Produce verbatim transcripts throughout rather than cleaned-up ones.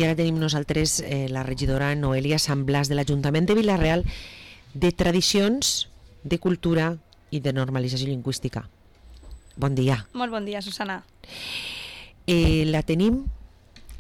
I ara tenim nosaltres eh, la regidora Noelia Sant Blas de l'Ajuntament de Vila-real, de Tradicions, de Cultura i de Normalització Lingüística. Bon dia. Molt bon dia, Susana. Eh, la tenim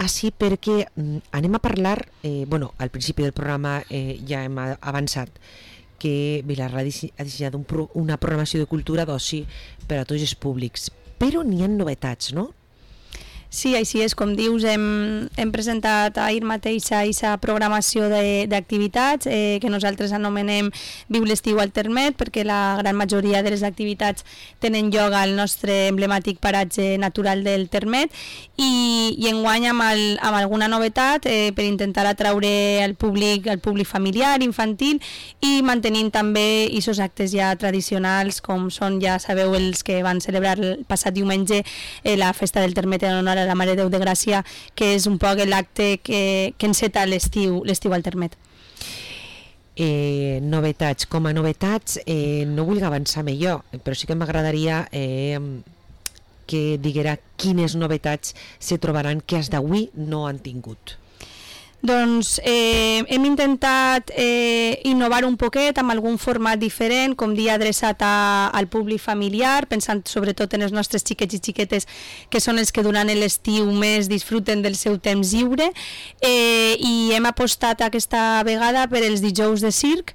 així perquè mm, anem a parlar, eh, bueno, al principi del programa eh, ja hem avançat que Vila-real ha dissenyat un pro, una programació de cultura d'oci per a tots els públics, però n'hi ha novetats, no? Sí, així és, com dius, hem, hem presentat ahir mateix aquesta programació d'activitats eh, que nosaltres anomenem Viu l'estiu al Termet, perquè la gran majoria de les activitats tenen lloc al nostre emblemàtic paratge natural del Termet, i, i enguany amb, el, amb alguna novetat eh, per intentar atraure el públic, el públic familiar, infantil, i mantenint també aquests actes ja tradicionals, com són, ja sabeu, els que van celebrar el passat diumenge eh, la festa del Termet en honor a la Mare de Déu de Gràcia, que és un poc l'acte que, que enceta l'estiu l'estiu al Termet. Eh, novetats. Com a novetats, eh, no vull avançar millor, però sí que m'agradaria eh, que diguera quines novetats se trobaran que fins d'avui no han tingut. Doncs eh, hem intentat eh, innovar un poquet amb algun format diferent, com dia adreçat a, al públic familiar, pensant sobretot en els nostres xiquets i xiquetes, que són els que durant l'estiu més disfruten del seu temps lliure, eh, i hem apostat aquesta vegada per els dijous de circ,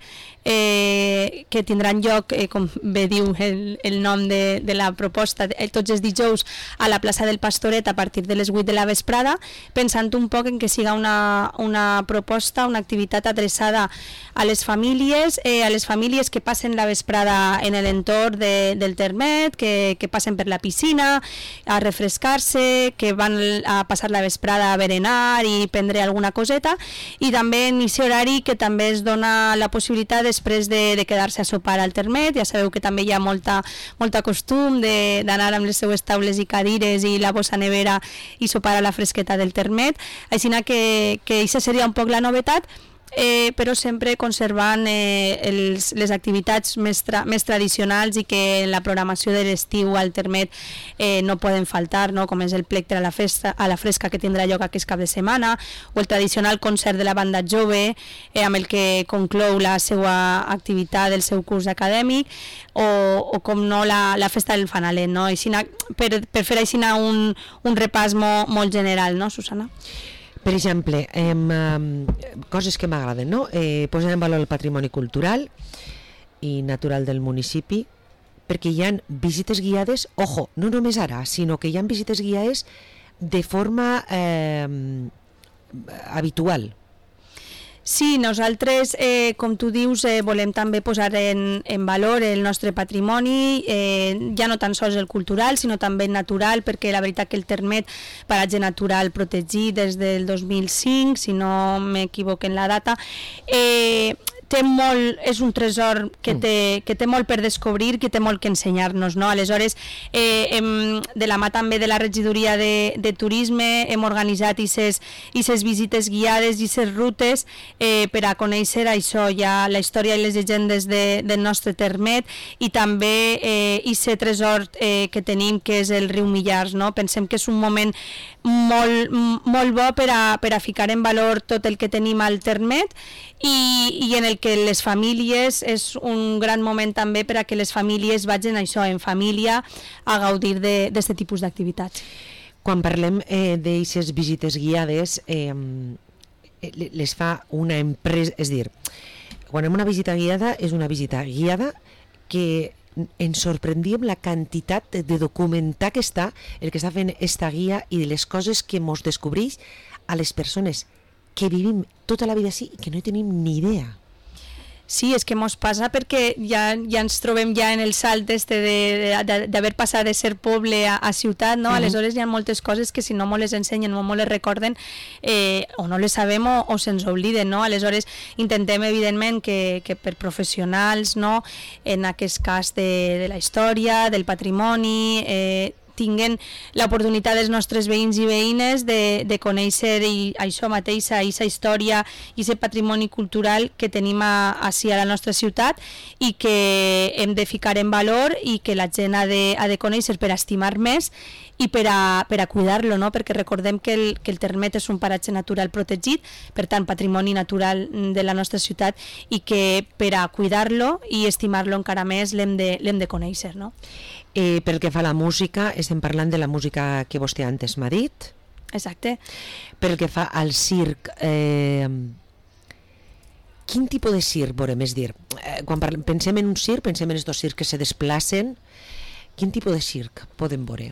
Eh, que tindran lloc, eh, com bé diu el, el nom de, de la proposta, eh, tots els dijous a la plaça del Pastoret a partir de les vuit de la vesprada, pensant un poc en que siga una, una proposta, una activitat adreçada a les famílies, eh, a les famílies que passen la vesprada en l'entorn de, del Termet, que, que passen per la piscina a refrescar-se, que van a passar la vesprada a berenar i prendre alguna coseta, i també en aquest horari que també es dona la possibilitat de després de, de quedar-se a sopar al Termet. Ja sabeu que també hi ha molta, molta costum d'anar amb les seues taules i cadires i la bossa nevera i sopar a la fresqueta del Termet, així que, que això seria un poc la novetat, eh, però sempre conservant eh, els, les activitats més, tra més tradicionals i que en la programació de l'estiu al Termet eh, no poden faltar, no? Com és el plectre a la, festa, a la fresca que tindrà lloc aquest cap de setmana, o el tradicional concert de la banda jove eh, amb el que conclou la seva activitat del seu curs acadèmic, o, o com no la, la festa del Fanalet, no? Aixina, per, per fer així un, un repàs molt, molt general, no, Susana? Per exemple, eh, coses que m'agraden, no? Eh, posar en valor el patrimoni cultural i natural del municipi, perquè hi ha visites guiades, ojo, no només ara, sinó que hi ha visites guiades de forma eh, habitual. Sí, nosaltres, eh, com tu dius, eh, volem també posar en, en valor el nostre patrimoni, eh, ja no tan sols el cultural, sinó també el natural, perquè la veritat que el Termet, paratge natural protegit des del dos mil cinc, si no m'equivoco en la data, eh, té molt, és un tresor que té, que té molt per descobrir, que té molt que ensenyar-nos, no? Aleshores, eh, hem, de la mà també de la regidoria de, de turisme, hem organitzat aquestes visites guiades i aquestes rutes eh, per a conèixer això, ja la història i les llegendes de, del nostre Termet, i també aquest eh, tresor eh, que tenim, que és el riu Millars, no? Pensem que és un moment molt, molt bo per a, per a ficar en valor tot el que tenim al Termet, i, i en el que les famílies és un gran moment també per a que les famílies vagin això en família a gaudir d'aquest tipus d'activitats. Quan parlem eh, d'aquestes visites guiades, eh, les fa una empresa, és dir, quan hem una visita guiada, és una visita guiada que ens sorprendíem la quantitat de documentar que està el que està fent esta guia i de les coses que ens descobreix a les persones que vivim tota la vida així i que no tenim ni idea. Sí, és que mos passa perquè ja, ja ens trobem ja en el salt este d'haver passat de ser poble a, a ciutat, no? Uh-huh. Aleshores hi ha moltes coses que si no mos les ensenyen o mos les recorden eh, o no les sabem o, o se'ns obliden, no? Aleshores intentem evidentment que, que per professionals, no? En aquest cas de, de la història, del patrimoni, eh, tinguen l'oportunitat dels nostres veïns i veïnes de, de conèixer i això mateix, aquesta història i aquest patrimoni cultural que tenim a, així a la nostra ciutat i que hem de ficar en valor i que la gent ha de, ha de conèixer per estimar més i per a, per a cuidar-lo, no? Perquè recordem que el, que el Termet és un paratge natural protegit, per tant patrimoni natural de la nostra ciutat i que per a cuidar-lo i estimar-lo encara més l'hem de, l'hem de conèixer, no? Eh, pel que fa a la música, estem parlant de la música que vostè antes m'ha dit. Exacte. Pel que fa al circ, eh, quin tipus de circ veurem? És dir, eh, quan parlem, pensem en un circ, pensem en estos circs que se desplacen, quin tipus de circ podem veure?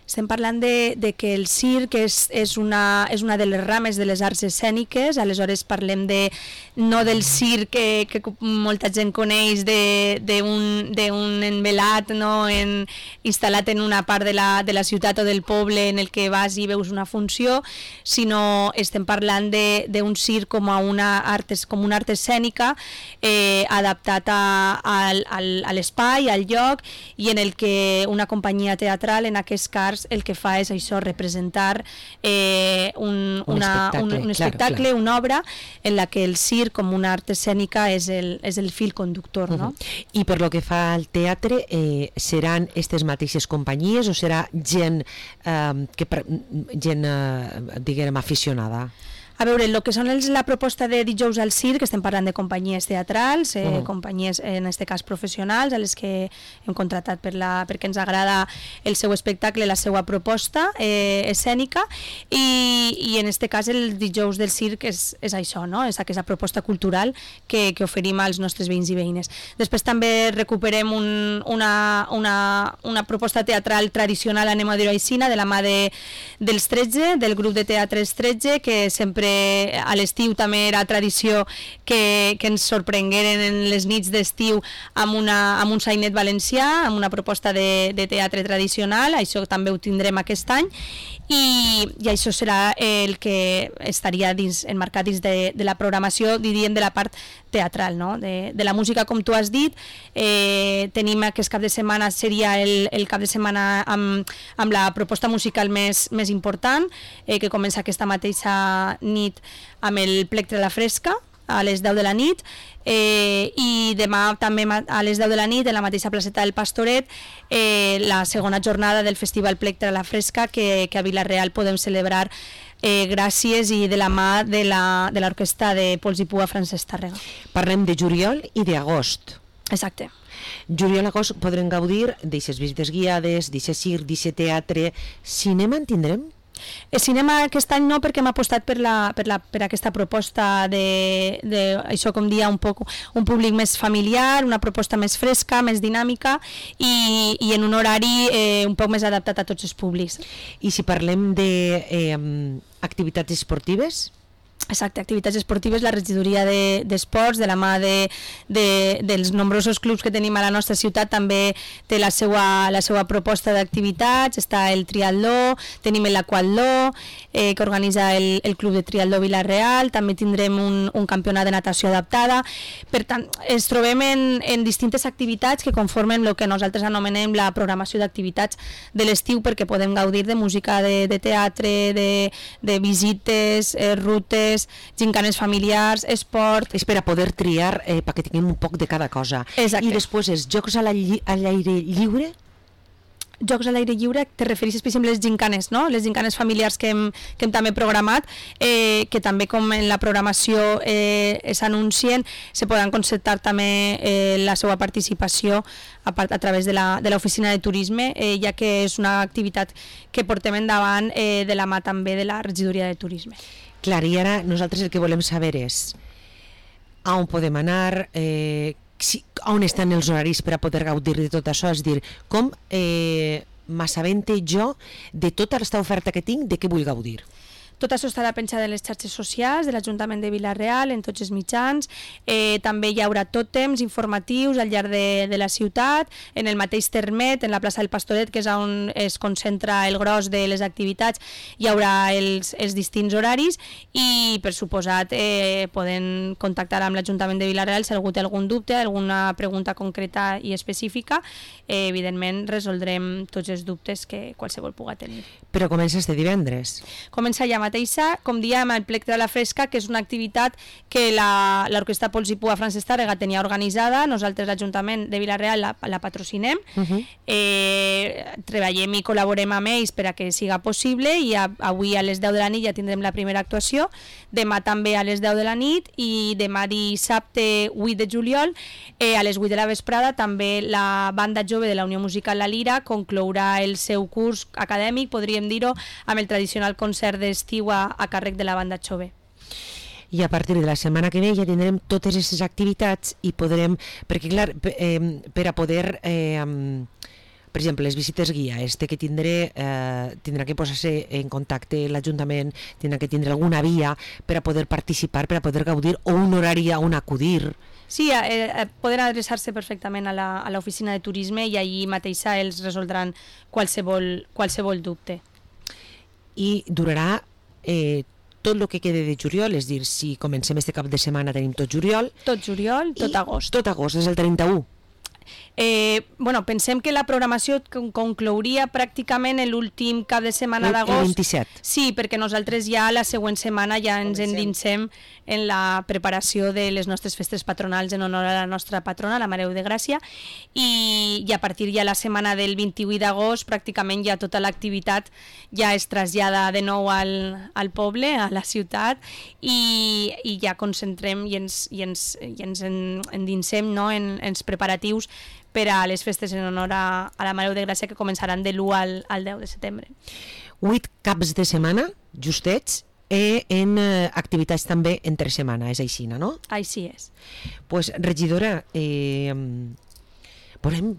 Estem parlant de, de que el circ és, és, una, és una de les rames de les arts escèniques, aleshores parlem de, no del circ que, que molta gent coneix d'un envelat, no? en, instal·lat en una part de la, de la ciutat o del poble en el que vas i veus una funció, sinó estem parlant d'un circ com a una art, com una art escènica eh, adaptat a, a, a l'espai, al lloc, i en el que una companyia teatral, en aquest cas, el que fa és això, representar eh, un, un una, espectacle, un, un clar, espectacle clar. una obra en la que el circ com una art escènica és el, és el fil conductor, no? Uh-huh. I per lo que fa al teatre, eh, seran aquestes mateixes companyies o serà gent, eh, que, gent eh, diguem, aficionada? A veure, el que són els, la proposta de dijous al circ, estem parlant de companyies teatrals, eh, uh-huh. companyies, en aquest cas professionals, a les que hem contratat per la, perquè ens agrada el seu espectacle, la seva proposta eh, escènica, i, i en aquest cas el dijous del circ és, és això, no? És aquesta proposta cultural que, que oferim als nostres veïns i veïnes. Després també recuperem un, una, una, una proposta teatral tradicional, anem a dir-ho així, de la mà de, dels tretze, del grup de teatres tretze, que sempre a l'estiu també era tradició que, que ens sorprengueren en les nits d'estiu amb, una, amb un sainet valencià, amb una proposta de, de teatre tradicional. Això també ho tindrem aquest any i, i això serà el que estaria dins, enmarcat dins de, de la programació, diríem, de la part teatral, no? de, de la música, com tu has dit. Eh, tenim aquest cap de setmana, seria el, el cap de setmana amb, amb la proposta musical més, més important, eh, que comença aquesta mateixa nit amb el Plectre a la Fresca a les deu de la nit, eh, i demà també a les deu de la nit en la mateixa placeta del Pastoret eh, la segona jornada del Festival Plectre a la Fresca que, que a Vila-real podem celebrar eh, gràcies i de la mà de l'orquestra de, de Pols i Pua Francesc Tàrrega. Parlem de juliol i d'agost. Exacte. Juliol i agost podrem gaudir d'aixes visites guiades, d'aixes circ, d'aixes teatre. Cinema en tindrem? El cinema aquest any no, perquè hem apostat per, la, per, la, per aquesta proposta de, de això, com dia, un, poc, un públic més familiar, una proposta més fresca, més dinàmica i, i en un horari eh, un poc més adaptat a tots els públics. I si parlem d'activitats eh, esportives? Exacte, activitats esportives, la regidoria d'esports, de, de la mà de, de, dels nombrosos clubs que tenim a la nostra ciutat, també té la seva, la seva proposta d'activitats. Està el triatló, tenim l'aquatló, eh, que organitza el, el Club de Triatló Vila-real, també tindrem un, un campionat de natació adaptada. Per tant, ens trobem en, en distintes activitats que conformen el que nosaltres anomenem la programació d'activitats de l'estiu, perquè podem gaudir de música, de, de teatre, de, de visites, eh, rutes, gincanes familiars, esport... És per a poder triar, eh, perquè tinguem un poc de cada cosa. Exacte. I després és jocs a l'aire lliure? Jocs a l'aire lliure, te refereixes per exemple a les gincanes, no? Les gincanes familiars que hem, que hem també programat, eh, que també com en la programació eh, s'anuncien, se poden concertar també eh, la seva participació a, part, a través de l'oficina de, de turisme, eh, ja que és una activitat que portem endavant eh, de la mà també de la regidoria de turisme. Clar, i ara nosaltres el que volem saber és a on podem anar, eh, si, on estan els horaris per a poder gaudir de tot això, és dir, com eh, m'assabente jo de tota aquesta oferta que tinc, de què vull gaudir. Tot això estarà penjat en les xarxes socials de l'Ajuntament de Vila-real, en tots els mitjans. Eh, també hi haurà tòtems informatius al llarg de, de la ciutat, en el mateix termet, en la plaça del Pastoret, que és on es concentra el gros de les activitats, hi haurà els, els distints horaris i, per suposat, eh, poden contactar amb l'Ajuntament de Vila-real si algú té algun dubte, alguna pregunta concreta i específica. Eh, evidentment, resoldrem tots els dubtes que qualsevol puga tenir. Però comença este divendres. Comença ja mateixa, com diem, el Plectre a la Fresca, que és una activitat que l'Orquestra Pols i Pua Francesc Tàrrega tenia organitzada. Nosaltres, l'Ajuntament de Vila-real, la, la patrocinem. Uh -huh. eh, treballem i col·laborem amb ells per a que siga possible i a, avui a les deu de la nit ja tindrem la primera actuació, demà també a les deu de la nit i demà dissabte vuit de juliol eh, a les vuit de la vesprada també la banda jove de la Unió Musical La Lira conclourà el seu curs acadèmic, podríem dir-ho, amb el tradicional concert d'estiu a, a càrrec de la banda jove. I a partir de la setmana que ve ja tindrem totes aquestes activitats i podrem, perquè clar, eh, per a poder... Eh, per exemple, les visites guia, este que tindré, eh, tindrà que posar-se en contacte l'Ajuntament, tindrà que tindre alguna via per a poder participar, per a poder gaudir, o un horari on acudir. Sí, eh, poden adreçar-se perfectament a l'oficina de turisme i allí mateixa els resoldran qualsevol, qualsevol dubte. I durarà eh, tot el que quede de juliol, és dir, si comencem este cap de setmana tenim tot juliol. Tot juliol, tot agost. Tot agost, és el trenta-u. Eh, bueno, pensem que la programació conclouria pràcticament l'últim cap de setmana d'agost. El vint-i-set. Sí, perquè nosaltres ja la següent setmana ja ens endinsem en la preparació de les nostres festes patronals en honor a la nostra patrona, la Mare de Gràcia, i, i a partir ja la setmana del vint-i-vuit d'agost pràcticament ja tota l'activitat ja es trasllada de nou al, al poble, a la ciutat, i, i ja concentrem i ens, i ens, i ens endinsem, no, en, en els preparatius per a les festes en honor a, a la Mare de Gràcia que començaran de l'u al, al deu de setembre. Vuit caps de setmana, justets, i en eh, activitats també entre setmana, és així, no? Així és. Pues, regidora, eh, volem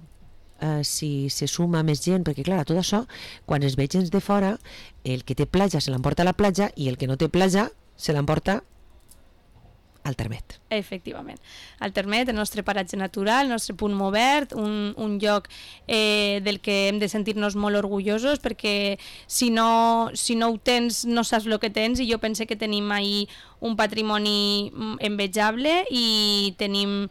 eh, si se suma més gent, perquè clar, tot això, quan es veig gens de fora, el que té platja se l'emporta a la platja i el que no té platja se l'emporta al termet. Efectivament. Al termet, el nostre paratge natural, el nostre punt obert, un, un lloc eh, del que hem de sentir-nos molt orgullosos, perquè si no, si no ho tens no saps el que tens, i jo pense que tenim ahí un patrimoni envejable i tenim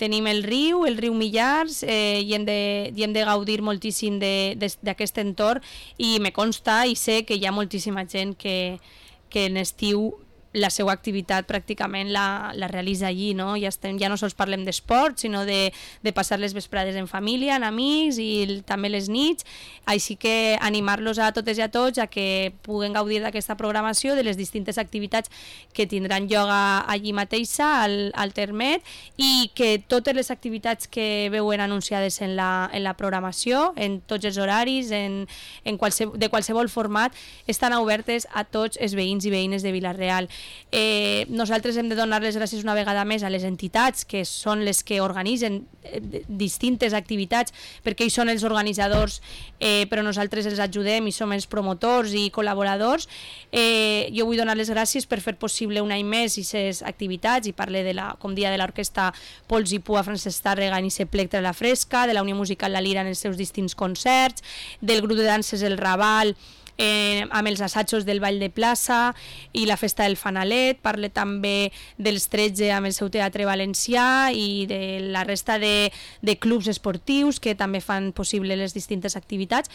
tenim el riu, el riu Millars, eh, i, hem de, i hem de gaudir moltíssim d'aquest entorn, i me consta i sé que hi ha moltíssima gent que, que en estiu la seva activitat pràcticament la, la realitza allí, no? Ja, estem, ja no sols parlem d'esport, sinó de, de passar les vesprades en família, en amics i el, també les nits, així que animar-los a totes i a tots a que puguen gaudir d'aquesta programació, de les distintes activitats que tindran lloc allí mateixa, al, al termet, i que totes les activitats que veuen anunciades en la, en la programació, en tots els horaris, en, en qualsevol, de qualsevol format, estan obertes a tots els veïns i veïnes de Vila-real. Eh, nosaltres hem de donar les gràcies una vegada més a les entitats que són les que organitzen eh, distintes activitats, perquè ells són els organitzadors, eh, però nosaltres els ajudem i som els promotors i col·laboradors. Eh, jo vull donar les gràcies per fer possible un any més aquestes activitats, i parle de la, com dia de l'Orquestra Pols i Pua Francesc Tàrrega en ese Plectre a la Fresca, de la Unió Musical La Lira en els seus distints concerts, del grup de danses El Raval, Eh, amb els assajos del Ball de Plaça i la Festa del Fanalet. Parle també dels tretze amb el seu teatre valencià i de la resta de, de clubs esportius que també fan possible les distintes activitats.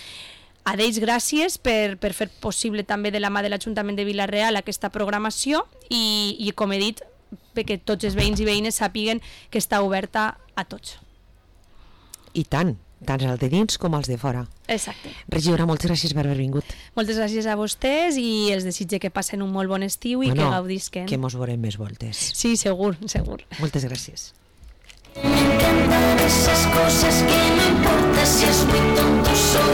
A d'ells gràcies per, per fer possible també de la mà de l'Ajuntament de Vila-real aquesta programació i, i com he dit, perquè tots els veïns i veïnes sàpiguen que està oberta a tots. I tant, tant els de dins com els de fora. Exacte. Regidora, moltes gràcies per haver vingut. Moltes gràcies a vostès i els desitge que passen un molt bon estiu i bueno, que gaudisquen. Que mos veurem més voltes. Sí, segur, segur. Moltes gràcies.